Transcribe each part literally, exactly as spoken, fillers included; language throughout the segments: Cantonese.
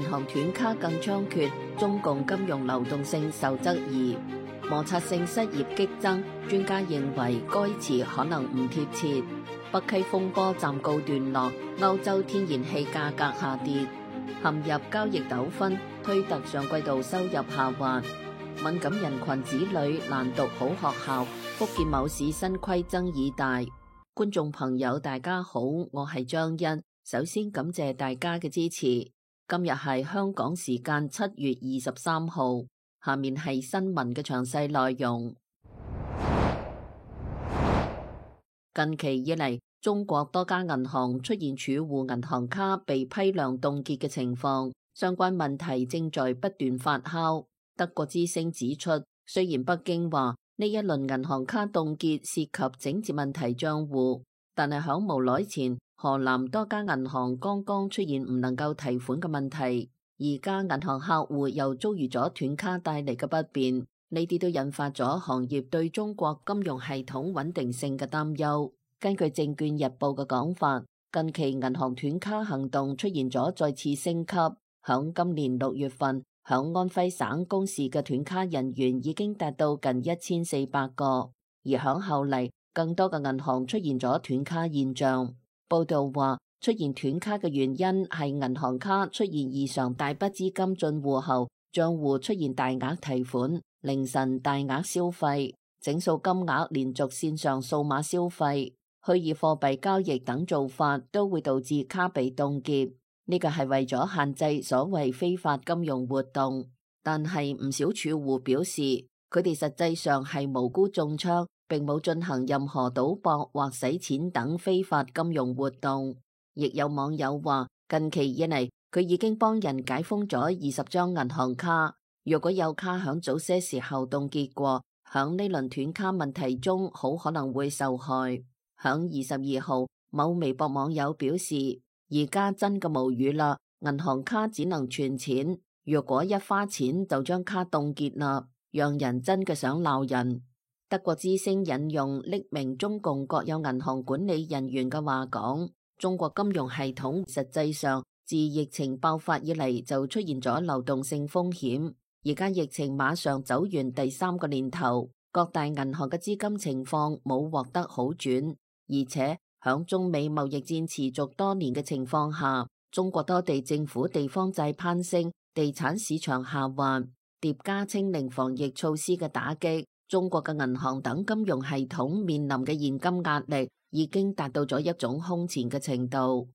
銀行斷卡更猖獗，中共金融流動性受質疑，摩擦性失業激增。專家認為該詞可能唔貼切。北溪風波暫告段落，歐洲天然氣價格下跌，陷入交易糾紛。推特上季度收入下滑，敏感人群子女難讀好學校。福建某市新規爭議大。觀眾朋友大家好，我係張欣，首先感謝大家嘅支持。今日係香港時間七月二十三號，下面係新聞嘅詳細內容。近期以嚟，中國多家銀行出現儲戶銀行卡被批量凍結嘅情況，相關問題正在不斷發酵。德國之聲指出，雖然北京話呢一輪銀行卡凍結涉及整治問題賬戶，但係響無耐前，河南多家銀行剛剛出現唔能夠提款嘅問題，而家銀行客戶又遭遇咗斷卡帶嚟嘅不便，呢啲都引發咗行業對中國金融系統穩定性嘅擔憂。根據證券日報嘅講法，近期銀行斷卡行動出現咗再次升級，響今年六月份，響安徽省公示嘅斷卡人員已經達到近一千四百個，而響後嚟更多嘅銀行出現咗斷卡現象。報道話，出現斷卡嘅原因係銀行卡出現異常大筆資金進戶後，賬戶出現大額提款、凌晨大額消費、整數金額連續線上數碼消費、虛擬貨幣交易等做法都會導致卡被凍結。呢個係為咗限制所謂非法金融活動，但係唔少儲戶表示，佢哋實際上係無辜中槍，並冇進行任何賭博或洗錢等非法金融活動。亦有網友話，近期以嚟佢已經幫人解封咗二十張銀行卡，如果有卡響早些時候凍結過，響呢輪斷卡問題中好可能會受害。響二十二號，某微博網友表示，而家真嘅無語啦，銀行卡只能存錢，如果一花錢就將卡凍結啦，讓人真嘅想鬧人。德國之聲引用匿名中共國有銀行管理人員嘅話講，中國金融系統實際上自疫情爆發以嚟就出現咗流動性風險，而家疫情馬上走完第三個年頭，各大銀行嘅資金情況冇獲得好轉，而且響中美貿易戰持續多年嘅情況下，中國多地政府地方債攀升，地產市場下滑，疊加清零防疫措施嘅打擊，中國嘅銀行等金融系統面臨嘅現金壓力已經達到咗一種空前嘅程度。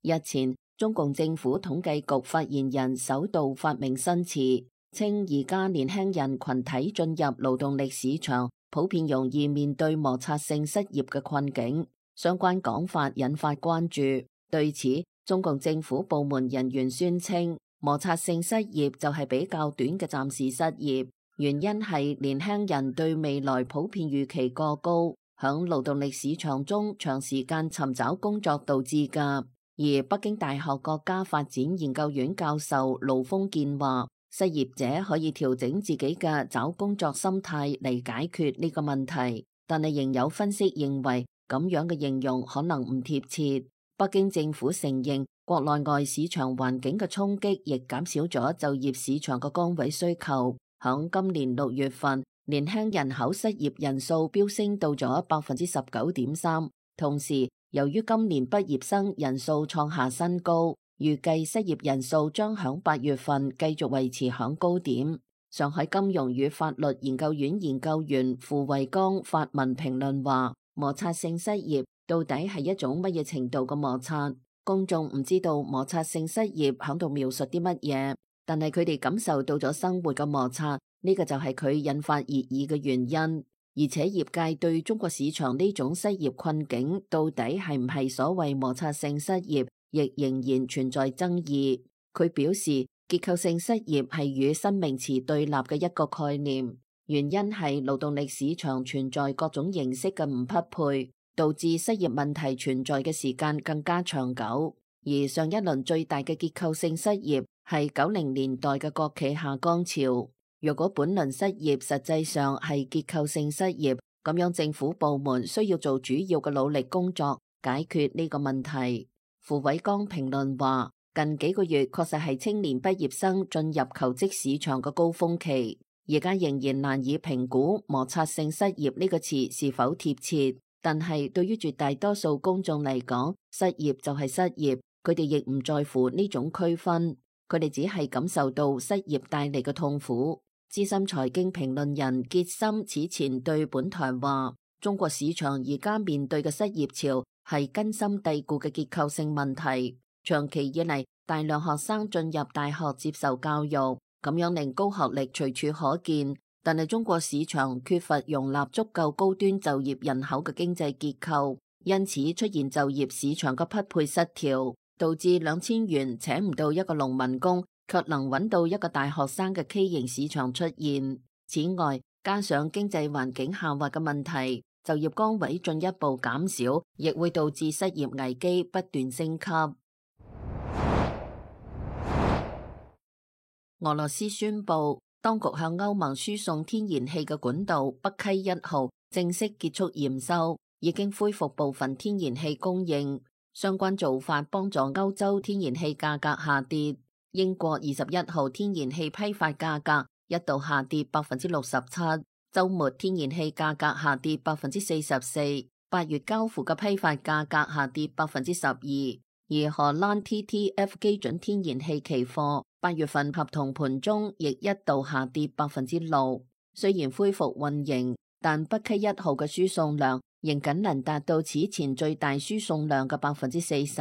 日前，中共政府統計局發言人首度發明新詞，稱而家年輕人群體進入勞動力市場，普遍容易面對摩擦性失業嘅困境。相關講法引發關注。對此，中共政府部門人員宣稱，摩擦性失業就係比較短嘅暫時失業，原因係年輕人對未來普遍預期過高，響勞動力市場中長時間尋找工作導致㗎。而北京大學國家發展研究院教授盧峰健話，失業者可以調整自己嘅找工作心態嚟解決呢個問題，但係仍有分析認為咁樣嘅形容可能唔貼切。北京政府承認國內外市場環境嘅衝擊亦減少咗就業市場嘅崗位需求。響今年六月份，年輕人口失業人數飆升到咗百分之十九點三，同時由於今年畢業生人數創下新高，預計失業人數將響八月份繼續維持響高點。上海金融與法律研究院研究員傅衛剛發文評論話，摩擦性失業到底係一種乜嘢程度嘅摩擦？公眾唔知道摩擦性失業響度描述啲乜嘢，但係佢哋感受到咗生活嘅摩擦，呢個就係佢引發熱議嘅原因。而且業界對中國市場呢種失業困境到底係唔係所謂摩擦性失業，亦仍然存在爭議。佢表示，結構性失業係與新名詞對立嘅一個概念，原因係勞動力市場存在各種形式嘅唔匹配，導致失業問題存在嘅時間更加長久。而上一輪最大嘅結構性失業係九零年代嘅國企下崗潮。如果本輪失業實際上係結構性失業，咁樣政府部門需要做主要嘅努力工作，解決呢個問題。傅偉剛評論話，近幾個月確實係青年畢業生進入求職市場嘅高峰期，而家仍然難以評估摩擦性失業呢個詞是否貼切。但係對於絕大多數公眾嚟講，失業就係失業，佢哋亦唔在乎呢種區分，佢哋只係感受到失業帶嚟嘅痛苦。資深財經評論人傑森此前對本台話，中國市場而家面對嘅失業潮係根深蒂固嘅結構性問題，長期以嚟大量學生進入大學接受教育，咁樣令高學歷隨處可見，但係中國市場缺乏容納足夠高端就業人口嘅經濟結構，因此出現就業市場嘅匹配失調，導致兩千元請唔到一個農民工，卻能揾到一個大學生嘅畸形市場出現。此外，加上經濟環境下滑嘅問題，就業崗位進一步減少，亦會導致失業危機不斷升級。俄羅斯宣布，當局向歐盟輸送天然氣嘅管道北溪一號正式結束驗收，已經恢復部分天然氣供應。相關做法幫助歐洲天然氣價格下跌。英國二十一號天然氣批發價格一度下跌百分之六十七，週末天然氣價格下跌百分之四十四，八月交付嘅批發價格下跌百分之十二，而荷蘭 T T F 基準天然氣期貨八月份合同盤中亦一度下跌百分之六。雖然恢復運營，但北溪一號嘅輸送量仍僅能達到此前最大輸送量嘅百分之四十。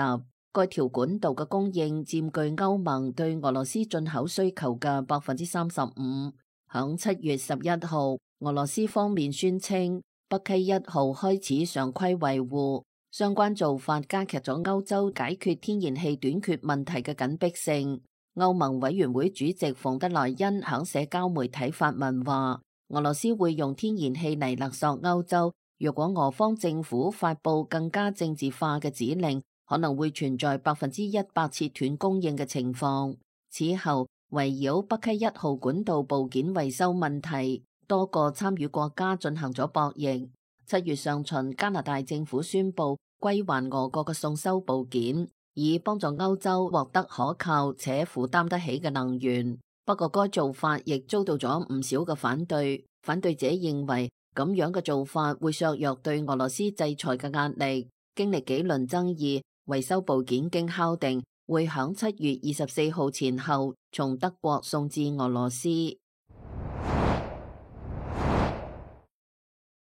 該條管道嘅供應佔據歐盟對俄羅斯進口需求嘅百分之三十五。響七月十一號，俄羅斯方面宣稱北溪一號開始常規維護，相關做法加劇咗歐洲解決天然氣短缺問題嘅緊迫性。歐盟委員會主席馮德萊恩響社交媒體發文話，俄羅斯會用天然氣嚟勒索歐洲，如果俄方政府發布更加政治化嘅指令，可能會存在百分之一百切斷供應嘅情況。此後，圍繞北溪一號管道部件維修問題，多個參與國家進行咗博弈。七月上旬，加拿大政府宣布歸還俄國嘅送修部件，以幫助歐洲獲得可靠且負擔得起嘅能源。不過該做法亦遭到咗唔少嘅反對，反對者認為咁樣嘅做法會削弱對俄羅斯制裁嘅壓力。經歷幾輪爭議，維修部件經敲定會響七月二十四號前後從德國送至俄羅斯。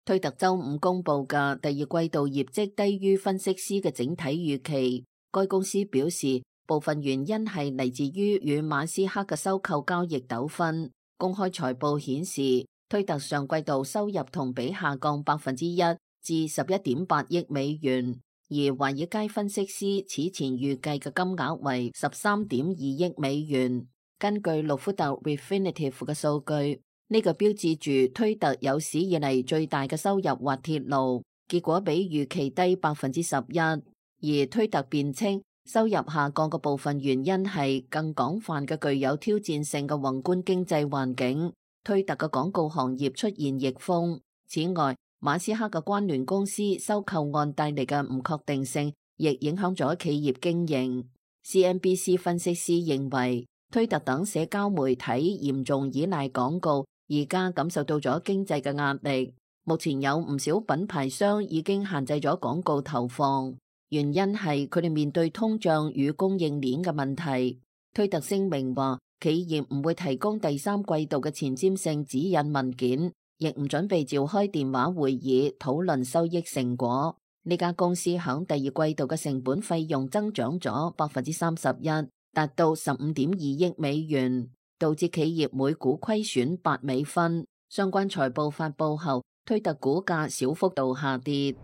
推特周五公布嘅第二季度業績低於分析師嘅整體預期。該公司表示，部分原因係嚟自於與馬斯克嘅收購交易糾紛。公開財報顯示，推特上季度收入同比下降百分之一至十一點八億美元，而華爾街分析師此前預計嘅金額為十三點二億美元。根據路福特 Refinitiv 嘅數據，呢、這個標誌住推特有史以嚟最大嘅收入滑鐵盧，結果比預期低百分之十一。而推特辯稱收入下降嘅部分原因係更廣泛嘅具有挑戰性嘅宏觀經濟環境，推特嘅廣告行業出現逆風。此外，馬斯克嘅關聯公司收購案帶嚟嘅唔確定性，亦影響咗企業經營。C N B C 分析師認為，推特等社交媒體嚴重依賴廣告，而家感受到咗經濟嘅壓力。目前有唔少品牌商已經限制咗廣告投放。原因係佢哋面對通脹與供應鏈嘅問題。推特聲明話，企業唔會提供第三季度嘅前瞻性指引文件，亦唔準備召開電話會議討論收益成果。呢家公司響第二季度嘅成本費用增長咗百分之三十一，達到十五點二億美元，導致企業每股虧損八美分。相關財報發佈後，推特股價小幅度下跌。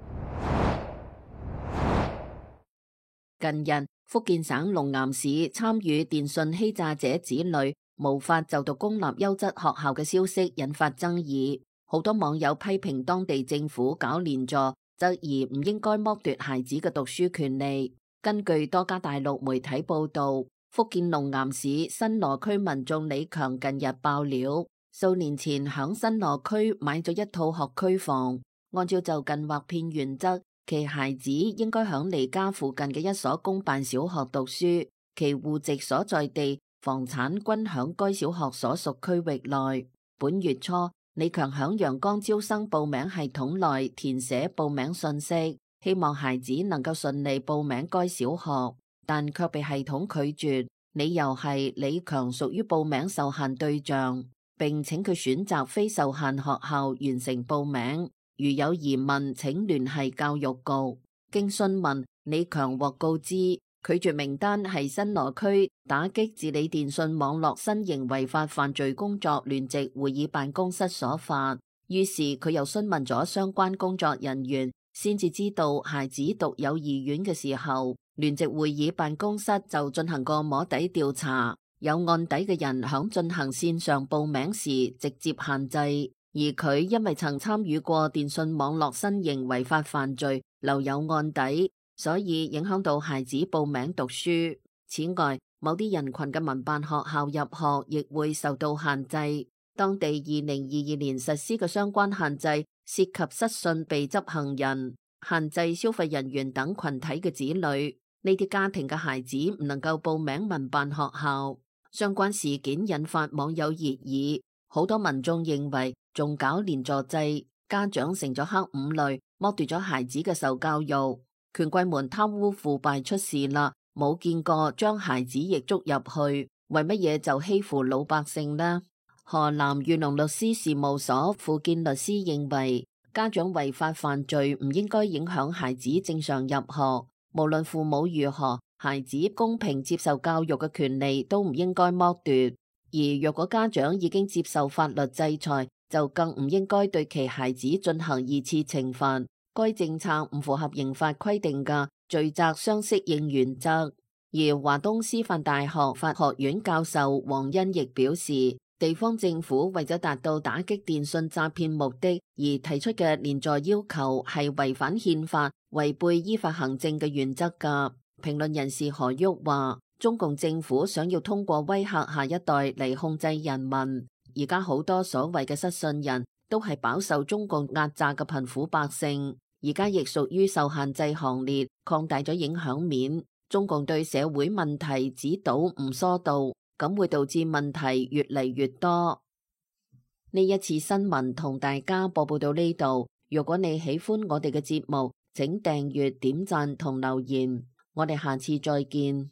近日，福建省龍岩市參與電信欺詐者子女無法就讀公立優質學校嘅消息引發爭議，好多網友批評當地政府搞連坐，質疑唔應該剝奪孩子嘅讀書權利。根據多家大陸媒體報道，福建龍岩市新羅區民眾李強近日爆料，數年前響新羅區買咗一套學區房，按照就近劃片原則，其孩子應該響離家附近嘅一所公辦小學讀書，其戶籍所在地、房產均響該小學所屬區域內。本月初，李強響陽光招生報名系統內填寫報名信息，希望孩子能夠順利報名該小學，但卻被系統拒絕，理由係李強屬於報名受限對象，並請佢選擇非受限學校完成報名。如有疑問，請聯繫教育局。經詢問，李強獲告知拒絕名單係新羅區打擊治理電信網絡新型違法犯罪工作聯席會議辦公室所發。於是佢又詢問咗相關工作人員，先至知道孩子讀幼兒園嘅時候，聯席會議辦公室就進行過摸底調查，有案底嘅人響進行線上報名時直接限制。而佢因為曾參與過電信網絡新型違法犯罪，留有案底，所以影響到孩子報名讀書。此外，某啲人群嘅民辦學校入學亦會受到限制。當地二零二二年實施嘅相關限制涉及失信被執行人、限制消費人員等群體嘅子女，呢啲家庭嘅孩子唔能夠報名民辦學校。相關事件引發網友熱議，好多民眾認為仲搞連坐制，家長成咗黑五類，剝奪咗孩子嘅受教育。權貴們貪污腐敗出事啦，冇見過將孩子亦捉入去，為乜嘢就欺負老百姓呢？河南裕隆律師事務所傅建律師認為，家長違法犯罪唔應該影響孩子正常入學，無論父母如何，孩子公平接受教育嘅權利都唔應該剝奪。而若果家長已經接受法律制裁，就更唔應該對其孩子進行二次懲罰。該政策唔符合刑法規定嘅罪責相適應原則。而華東師範大學法學院教授黃恩亦表示，地方政府為咗達到打擊電信詐騙目的而提出嘅連坐要求係違反憲法、違背依法行政嘅原則㗎。評論人士何旭話，中共政府想要通過威嚇下一代嚟控制人民。而家好多所謂嘅失信人都係飽受中共壓榨嘅貧苦百姓，而家亦屬於受限制行列，擴大咗影響面。中共對社會問題指導唔疏導，咁會導致問題越嚟越多。呢一次新聞同大家播報到呢度，如果你喜歡我哋嘅節目，請訂閱、點讚同留言，我哋下次再見。